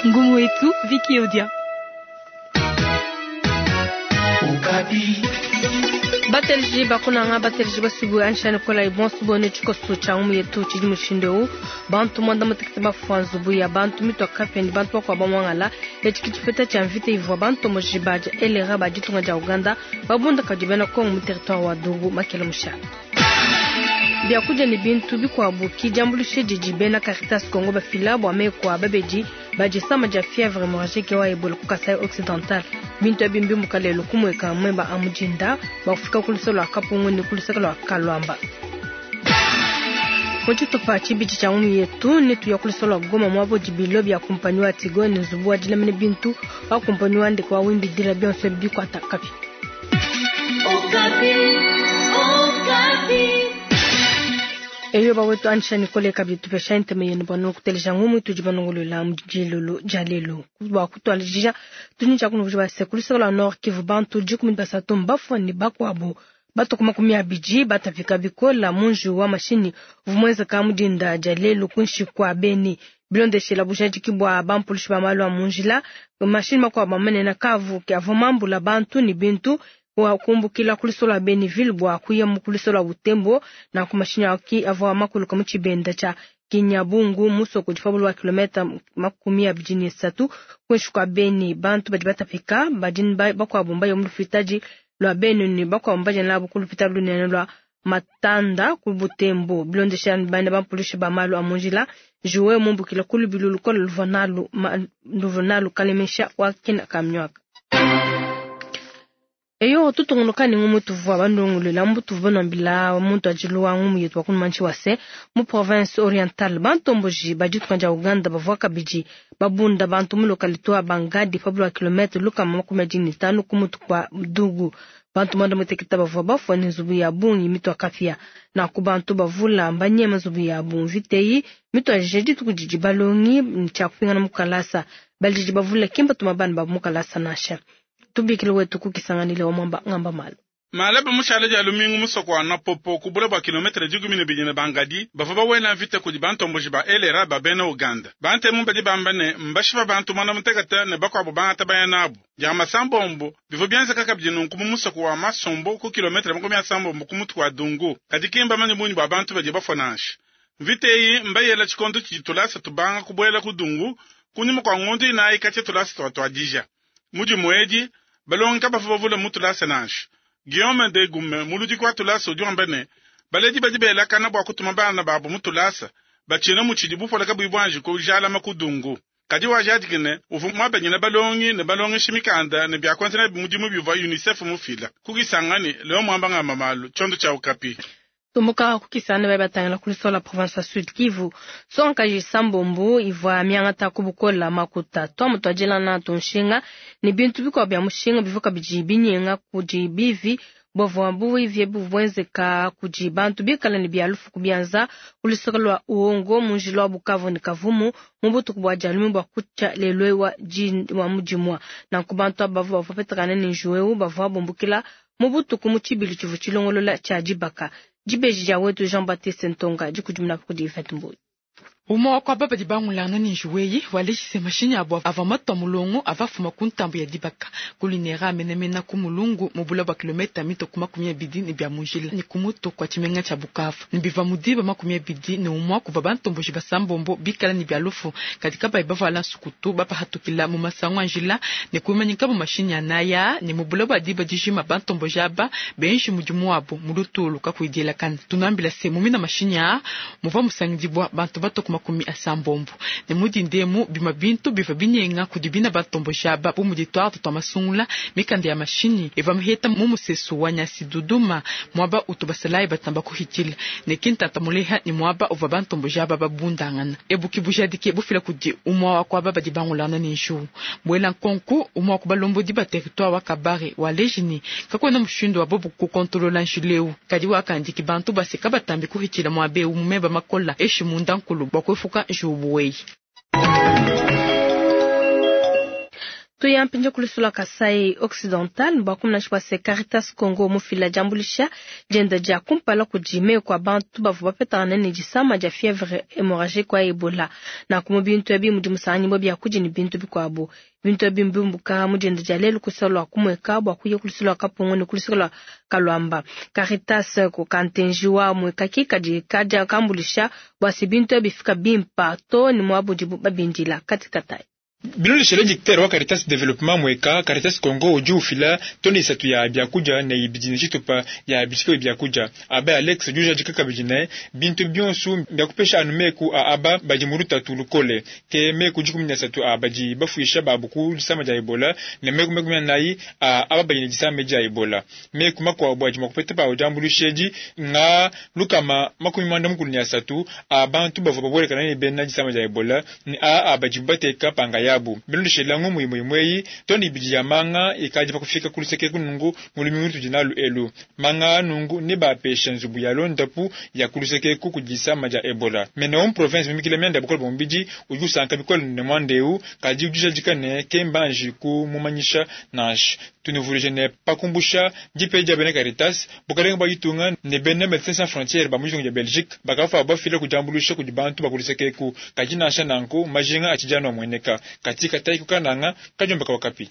Ngumu wetu Vicky Odia. Batelji bakunanga batelji basubu anshani kola ibonso bone tshikoso tsha ngumu yetu tshidi mushindu eu bantu mwanda mutekete bafua nzubu ya bantu mitwa kapeni bantu bakwa bamwangala etshi tshipeta tsha mvita ivua bantu mojiba dia elera ba ditunga dia Uganda babunda kadi bena Kongo mu territoire wa Dungu makele musha. Biakudia ne bintu bikuabu ki diambuluisha didi bena Caritas Congo bafila bua meku a babedi ba disama dia fièvre hémorragique wa Ebola ku Kasai Occidental. Bintu ebi mbimuka lelu kumueka mweba a mudinda bua kufika ku luseke lua Kapungu ne ku luseke lua Kaluamba. Mu tshitupa tshibidi tshia ngumu yetu netuya ku luseke lua Goma muaba udi bilo bia kumpanyi wa Tigo ne nzubu wa dilamina bintu wa kumpanyi wa ndeke wa Wimbidila bionso ebi bikuata kapia. Eyo bawetu anisha Nicole kabidi tupesha ntema yenu bua nukuteleja ngumu tudi banongolola mu dilolo dia lelu. Bua kutuadija tudi tshia kunuvuja base ku luseke lua Nord Kivu bantu 13 mbafua ne bakuabu batuku 20 batapika bikola mu njiwu wa mashinyi uvua muenzeka mu dinda dia lelu kuinshi kua Beni. Bilondeshela bujadiki bua bampulushi ba malu a mu njila, mashinyi makuabu manene kavu ke avua mambula bantu ne bintu wa kumbukila ku luseke lua Beniville bua kuya mu ku luseke lua Butembo. Nanku mashinyi aki avua makuluka mu tshibenda tshia Kinyabungu musoko udi pa bule bua kilometa 23 kuinshi kua Beni. Bantu badi batapika badi bakuabu mbaya mu lupitadi lua Beni ne bakuabu mbaya nabu ku lupitadi lunene lua Matanda ku Butembo. Bilondeshela bana bampulushi ba malu a mu njila, Joe mumbukila ku lubilu lukole luvua nalu kalemesha wa kina kamnywaka. Eyo tutungunuka ne ngumu tuvua bandongolola mbu tuvua banambila muntu ajilu wa ngumu yetu wa kunumanshi wa se mu province orientale bantomboji ba ditunga dia Uganda bavua kabidi babunda bantu mu localité wa Bangadi pa bule wa kilomètre 125 ku mutu kua Dugu. Bantu 96 bavua bafua ne nzubu ya bungi mitua kapia. Nanku bantu bavula mbanyema nzubu ya bungi mvita mituadije dituku didi balongi tshia kupingana mu kalasa. Baledi bavula kimba tuma bana babu mu kalasa nansha. Tubikile wetu kukisanganile wa mwamba ngamba malu. Malaba mushale dia lumingu musoko wa Napopo ku bule bua kilometre 12 ne Bangadi bavua bawela mvita kudi bantomboji ba LRA ba bena Uganda. Bantemu badi bamba ne mbashipa bantu 96 ne bakuabu bangata baya nabu. Dia masambombo bivua bienzeka kabidi nunku mu musoko wa Masombo ku kilometre 70 ku mutu wa Dungu. Kadi kimba manya bungi bua bantu badi bafua nansha. Mvita eyi mbayela tshikondo tshidi tulasa tubanga kubuela ku Dungu kunyuma kua ngondo inayi katshia tulasa tuatuadija. Mudimu edi balongi kabavua bavula mu tulasa nansha. Guillaume de Gume muludiki wa tulasa udi wamba ne baledi badi belakana bua kutuma bana babu mu tulasa batshina mutshidi bupole kabuyi buanji kujalama ku Dungu. Kadi wajadiki ne uvua muabanyina balongi ne balongeshi mikanda ne biakuenza nabi mudimu bivua UNICEF mufila. Kukisangani leo mwamba ngamba malu tshiondo tshia Okapi. Tumbuka kukisana bali batangila ku luseke lua province ya Sud Kivu. Sonkaji sambombo ivua miangata ku bukola makuta twamu twajilana tunshinga ne bintu bikuabu bia mushinga bivua kabidi binyenga kudi bivi bavua buivie buvuenzeka kudi bantu bikala ne bia lufu kubianza ku luseke lua Uongo mu njila wa Bukavu ne Kavumu mu butuku bua dialume bua kutshia lelu wa wa mudimua. Nanku bantu aba bavua bapetakana ne njiwu eu bavua bumbukila mu butuku mu tshibilu tshivua tshilongolola tshia dibaka. Dibeji dia wetu Jean-Baptiste Ntonga dikudimuna kudi Yvette Mboyi. Umwe wa kwa baba di bangulana ni njuweyi walejise mashinyi abo ava matwa mulongo ava fuma ku ntambo ya dibaka kulinera menemena ku mulungu mubula bwa kilometa mito ku 20 ne bia mujila ni kumuto kwa tshimenga tsha Bukavu ni biva mudiba 21 kuva bantomboji basambombo bikala ni bia lufu katika bai bavala nsukutu bapahatukila mu masango njila ne kumanyika bu mashinyi anaya ne mubula bwa diba dijima bantomboji aba benji mudimu wabo mulutulu kakuidila kana tunambila se mumina mashinyi a muva musangidibwa bantu bato ku 80 ne mudindemu bima bintu biva binyenga kudi bina bantomboji aba bu mudi twarte twa masungula mikanda ya mashinyi eva muheta mu musesu wa nyasi duduma mwaba utu basalayi batamba kuhitila ne kintata muleha ni mwaba uva bantomboji aba babundangana ebuki bujadike bufila kudi umwa wa kwaba badi bangulana ne nju bwela nkonku umwa ku balombodi ba territoire wa Kabare wa lejini kakwena mushindu wa bobu kukontolola njileu kadi wakandiki bantu baseka batambi kuhitila mwabe umumeba makola eshi munda nkulu bwa kwefuka njubuweyi. Tuya mpindieu ku luseke lua Kasai Occidental bua kumona bua se Caritas Congo mufila diambuluisha dienda dia kumpala kudi meku a bantu bavua bapetangana ne disama dia fievre hemorragique wa Ebola. Nanku mu bintu ebi mudi musanganyibua biakudia ne bintu bikuabu. Bintu ebi mbiumbuka mu dienda dia lelu ku luseke lua Kumueka bua kuya ku luseke lua Kapungu ne ku luseke lua Kaluamba. Caritas ku kantenji wa Mueka ki kadi kadia kambuluisha bua se bintu ebi bifika bimpa too ne muaba udibu babindila. Katikatayi. Bilondeshele dictateur wa Caritas Development Mweka, Caritas Congo udi ufila tone 3 ya biakudia ne 2 ne tshitupa ya bishika biakudia. Abe Alex udi ujadika kabidi ne bintu bionso biakupesha anu meku a aba badi mu lutatu lukole ke meku 13 a badi bafuisha babu ku disama dia Ebola ne meku 40 a aba badi ne disama dia Ebola. Meku makuabu adi mua kupeta pawu diambuluisha edi nga 193 a bantu bavua babuelakana ne bena disama dia Ebola ne a badi bateka panga yabu. Bilondeshele ngumu imue imue tone 2 ya manga ikadi pa kufika ku luseke kunungu mu lumingu lutudi nalu elu. Manga nungu ne bapesha nzubu ya londapu ya ku luseke ku disama dia Ebola. Mena mu province mimikila mianda bukole bwa mubidi udi usanka bikole ne mwandeu kadi udi ne kembanji ku mumanyisha nansha. Tunuvuluije ne pakumbusha dipe dia bena Caritas bukalenga bwa ditunga ne bena Médecins Sans Frontières ba mu ditunga dia Belgique bakafa bafila kudiambuluisha kudi bantu ba ku luseke ku kadi nansha nanku majinga atshidi amueneka katika tai kukananga kajomba kawakapi.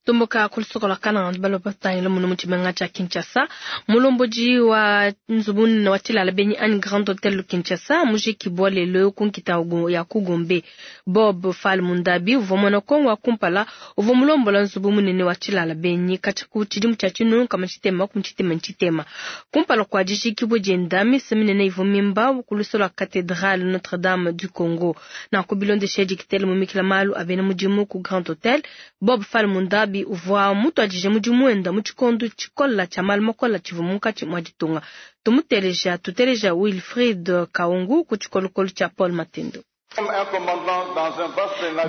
Tumbuka ku luseke lua Kananga balo batangila muno mu tshimenga tshia Kinshasa mulombodi wa nzubu munene wa tshilala benyi anyi Grand Hotel Kinshasa mujikibua lelo ku nkita ya ku Gombe. Bob Fall Mundabi uvua muena Kongo wa kumpala uvua mulombola nzubu munene wa tshilala benyi katshia ku tshidimu tshia 1963. Kumpala kua dijikibua dienda misa minene ivua mimba ku luseke lua Cathédrale Notre-Dame du Congo. Nanku bilondeshe dikitele mumikila malu a bena mudimu ku Grand Hotel Bob Fall Mundabi uvua mutuadije mudimu wenda mu tshikondo tshikola tshia malu makola tshivua munkatshi mua ditunga. Tumuteleja tuteleja Wilfried Kaungu ku tshikolokolo tshia Paul Matendo.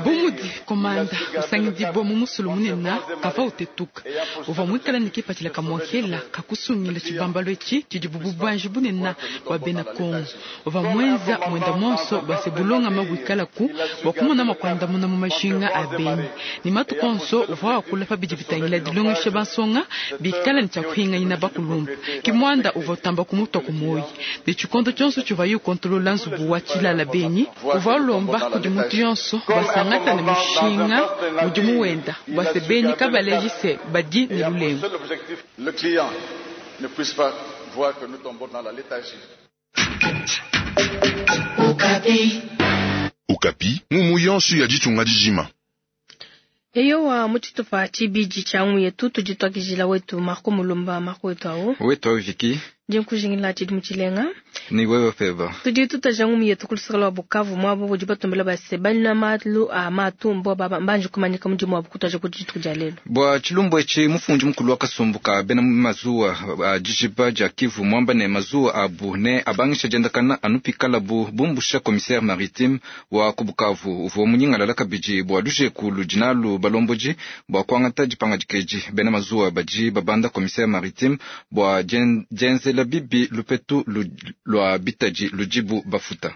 Bumudi komanda usangidibwa mu musulu munene kava utetuka uvua muikala ne kipatshila kamwakela kakusungila tshibambalo etshi tshidi bubanji bunene bua bena Kongo. Uvua mwenza mwenda monso bua se bulongama buikalaku bua kumona makuandamuna mu mashinga a benyi ne matuku onso uvua wakula pa bidi bitangila dilongesha bansonga bikala ne tshiakuhinganyina bakulumba. Kimwanda uvua utamba kumutwa ku moyi ne tshikondo tshionso tshivuaye ukontolola nzubu wa tshilala benyi uvua ulomba kudi muntu yonso basangata ne mushinga mudimu wenda bua se benyi kabaleji se badi ne lulengu. Le client ne puisse pas voir que nous tombons dans la léthargie. Okapi, mumu yonso ya ditunga dijima. Eyowa mu tshitupa tshibidi tshia ngumu yetu tudi tuakijila wetu Marco Mulumba. Marco wetu awu. Wetu awu Viki. Ndi nkujingila tshidi tshilenga. Ni wewe peba. Tudi tutaja ngumu yetu ku luseke lua Bukavu muaba budi batumbela base balina malu a matumbo baba mbanje kumanyika mudimu wabu kutaja ku dituku dia lelo. Bua tshilumbu etshi mufundi mukulu wa kasumbu ka bena mazuwa a dijiba dia Kivu muamba ne mazuwa abu ne abangisha diendakana anu pikalabu bumbusha commissaire maritime wa ku Bukavu uvua munyingalala kabidi bua lujeku ludi nalu balombodi bua kuangata dipangadika bena mazuwa badi babanda commissaire maritime bua dienzela bibi lupetu lua bitadi ludibu bafuta.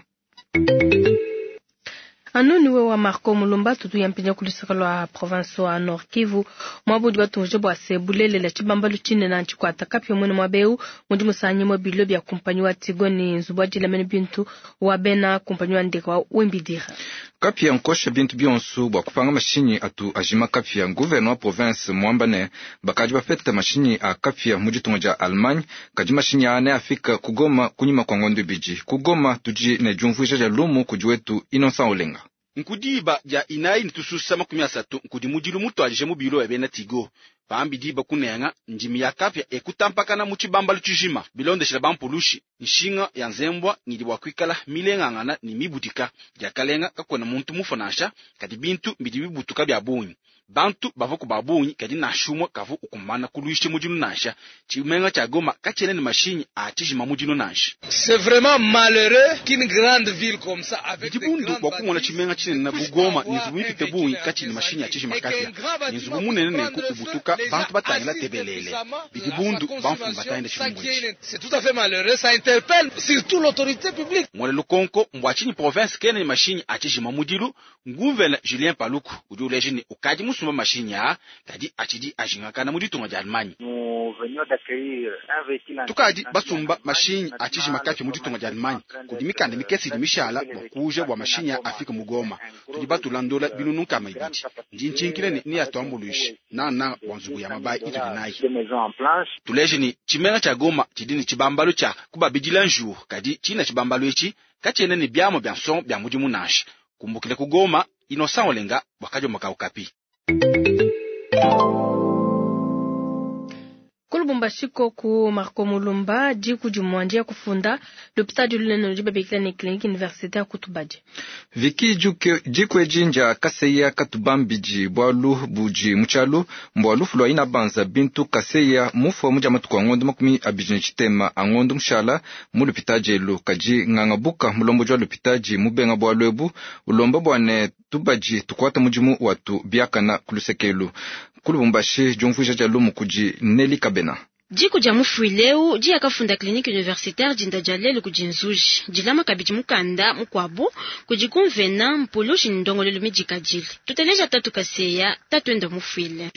Anoni we wa Marco Mulumba tutu yampinja ku luseke lua province wa Nord Kivu mwabudi batunje bua se bulelela tshibambalu tshinene ntshikwata kapia mwene mwabeu mudi musanyi mwa bilo bya kumpanyi wa Tigo ni nzubu wa dilamene bintu wa bena kumpanyi wa ndeka wa Wembidira. Kapia nkosha bintu bionso bua kupanga mashinyi atu ajima kapia. Gouverneur wa province mwamba ne bakadi bapeta mashinyi a kapia mu ditunga dia Allemagne kadi mashinyi ane afika kugoma kunyima kwa ngondo ibidi. Kugoma tudi ne diumvuija dia lumu kudi wetu Innocent Olenga. Nkudiba dia inayi nitususa 30 nkudi mudilu mutwalije mu bilo ya bena Tigo pambi diba kunenga ndimi ya kapia ekutampakana mu tshibambalu tshijima bilondeshela bampulushi nshinga ya nzembwa ngidi bua kuikala milengangana ni mibudika diakalenga kakuena muntu mufa nansha kadi bintu bidi bibutuka bia bungi bantu bava ku babungi kadi nansha umue kavu ukumana kuluisha mudilu nansha tshimenga tshia Goma katshiena ne mashinyi a tshijima mudilu nansha. C'est vraiment malheureux qu'une grande ville comme ça avec des grandes bua kumona tshimenga tshinene bu Goma ne nzubu mipite bungi katshina ne mashinyi a tshijima kapia ne nzubu munene nenku ubutuka bantu batangila tebelele bidi bundu bamfumu batangila tshilumbu etshi. C'est tout à fait malheureux, ça interpelle surtout l'autorité publique. Mwele lukonko mbua tshinyi province kena ne mashinyi a tshijima mudilu nguvena Julien Paluku udi uleja ne ukadi musumba mashinyi aa, kadi atshidi ajingakana mu ditunga dia Allemagne. Tukadi basumba mashinyi a tshijima kapia mu ditunga dia Allemagne. Kudi mikanda mikese idi mishala bua kuuja bua mashinyi afike mu Goma. Tudi batula ndola binunu 200. Ndi ntshinkile ne neyatuambuluishe nangananga bua nzubu ya mabayi itudi nayi. Tuleje ne tshimenga tshia Goma tshidi ne tshibambalu tshia kubabidila njiwu, kadi tshina tshibambalu etshi katshiena ne biamua bia nsongo bia mudimu nansha. Kumbukila ku Goma, Innocent Olenga bua Kadiomba ka Okapi. Ku Lubumbashi koku Marco Mulumba diku dimue ndiya kufunda lupitadi lunene ludi babikila ne clinique universitaire ku Tubadi. Viki diku edi ndia Kaseya Katubambidi bualu budi mu tshialu mbua lufu lua Inabanza Bintu Kaseya mufua mu dia matuku a ngondo 23 a ngondo mushala mu lupitadi elu. Kadi nganga buka mulombodi wa lupitadi mubenga bualu ebu ulomba bua ne tubadi tukuata mudimu watu biakana ku lusekelu. Ku Lubumbashi diumvuija dia lumu kudi Nelly Kabena. Diku dia mufuileu diya kafunda clinique universitaire dinda dia lelu kudi nzuji dilama kabidi mukanda mukuabu kudi kumvena mpulushi ne ndongoluelu midikadile. Tuteleja tatu Kaseya tatuende mufuile.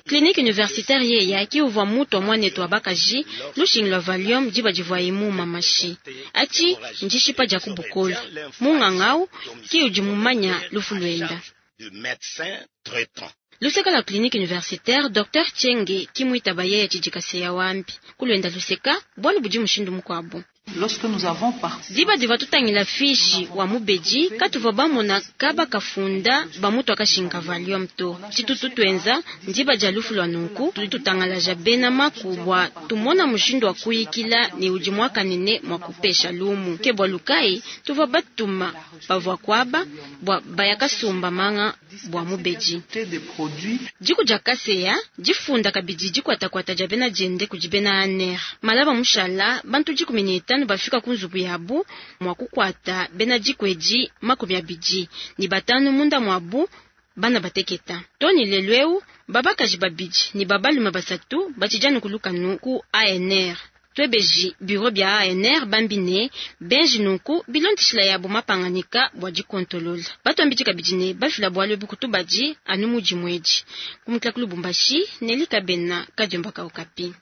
Clinique universitaire yeya ki uvua mutu wa muanetu wa bakaji lushingi lua Valium diba divuaye muma mashi atshi ndishipa dia ku bukole. Mungangau ki udi mumanya lufu luenda. Luseka la clinique universitaire Dr Chenge kimwitaba yeye tshidi Kaseya wambi kulwenda luseka bualu budi mushindu mukuabu. Diba diva tutangila fishi wa mubedi katuvua bamona kaba kafunda bamutu akashinka Valium to. Tshitutu twenza ndiba dia lufu lua nunku tudi tutangalaja bena maku bua tumona mushindu wa kuyikila ne udi muakanene mua kupesha lumu. Ke bua lukai tuvua batuma bavua kuaba bua baya kasumba manga bua mubedi. Diku dia Kaseya difunda kabidi dikwatakwata dia bena diende kudi bena ANR. Malaba mushala bantu 15 bafika ku nzubu yabu mua kukwata bena diku edi 25 munda muabu bana bateketa. Tony lelu babakaji babidi ne babalume basatu batshidi kulukanu ku ANR. Twebeji bureau bia ANR bambi ne benji nunku bilondeshila yabo mapanganika bua dikontolola. Batwambidi kabidi ne bafila bualu ebu kutubadi anu mudimu edi. Kumukila ku Lubumbashi, Nelly Kabena, Kadiomba ka Okapi.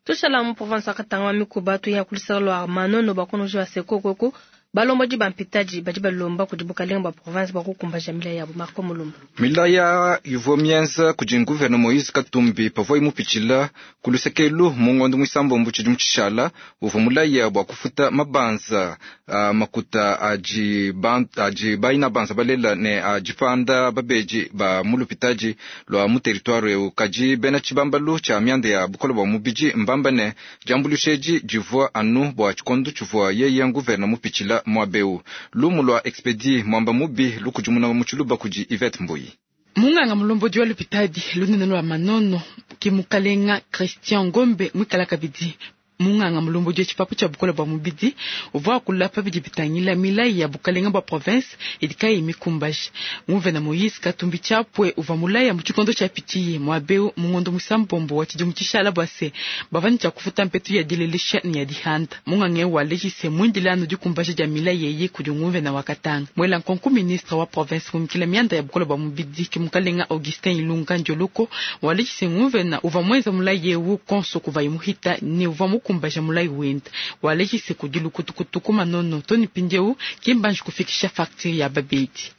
Tushala mu province ya Katanga wa mikuba tuya kulisaka lwa Manono bakonoji wa sekokoko balombodi ba mpitadi badi balomba kudi bukalenga bua province bua kukumbaja milaya yabo. Marco Mulumba. Milaya ivua mienza kudi gouverneur Moïse Katumbi pavua imupitshila ku lusekelu mu ngondo muisambombo tshidimu tshishala uvua mulaya bua kufuta mabanza makuta adi adi baina banza balela ne adipanda babedi ba mu lupitadi lua mu territoire eu. Kadi bena tshibambalu tshia mianda ya bukole bua mubidi mbamba ne diambuluisha edi divua anu bua tshikondo tshivua yeye gouverneur mupitshila muabeu. Lumu lua Expedi mwamba mubi lukudimuna mu tshiluba kudi Yvette Mbuyi. Munganga mulombodi wa lupitadi lunene lwa Manono ke mukalenga Christian Ngombe mwikala kabidi munganga mulombodi wa tshipapu tshia bukole bua mubidi uvua akula pa bidi bitangila milayi ya bukalenga bua province idi kayi mikumbaje. Nguvena Moïse Katumbi Chapwe uvua mulaya mu tshikondo tshia pitiye muabeu mu ngondo muisambombo wa tshidimu tshishala bua se bavua ne tshia kufuta mpetu ya dilelesha ne ya dihanda. Munganga eu walejise mwindile anu dikumbaja dia milayi eyi kudi nguvena wa Katanga. Mwela nkonku ministre wa province mumikila mianda ya bukole bua mubidi ke mukalenga Augustin Ilunga Ndioloko walejise nguvena uvua mwenza mulayi eu konso kuvayi muhita ne uvua mukumbaja mulayi wenda. Walejise kudi lukutukutu Manono toni pindiewu kimbanji kufikisha facture ya babedi.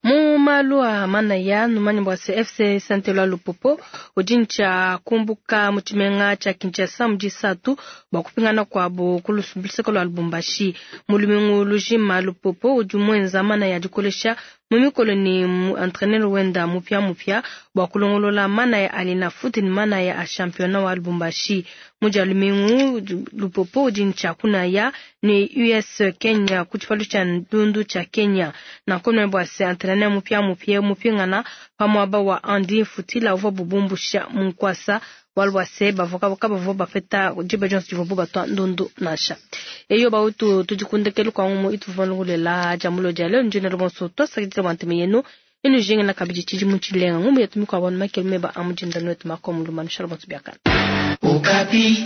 Mu malu a manaya numanya bua se FC Saint-Eloi Lupopo udi ntshia kumbuka mu tshimenga tshia Kinshasa mu disatu bua kupingana kuabu ku luseke lua Lubumbashi. Mu lumingu lujima Lupopo udi muenza manaya dikolesha mu mikolo ne mu entraîneur wenda mupia mupia bua kulongolola manaya a Linafoot ne manaya a championnat wa Lubumbashi. Mu dia lumingu Lupopo udi ntshia kunaya ne US Kenya ku tshipalu tshia ndundu tshia Kenya. Nanku bua se entraîneur mupia mupia mupingana pa muaba wa Andy Futila uvua bubumbusha mu nkuasa bualu bua se bavua kabavua bapeta diba dionso divua batwa ndundu nansha. Eyo bautu tudikundekelu kwa ngumu ituvua lungulela dia mulo dia lelo ndinelo bonso twasakidila bua nteme yenu inu jinga na kabidi tshidimu tshilenga ngumu yetu mikua banu makelu meba a mudinda nwetu makomu lumanu shala bonso biakana. Okapi.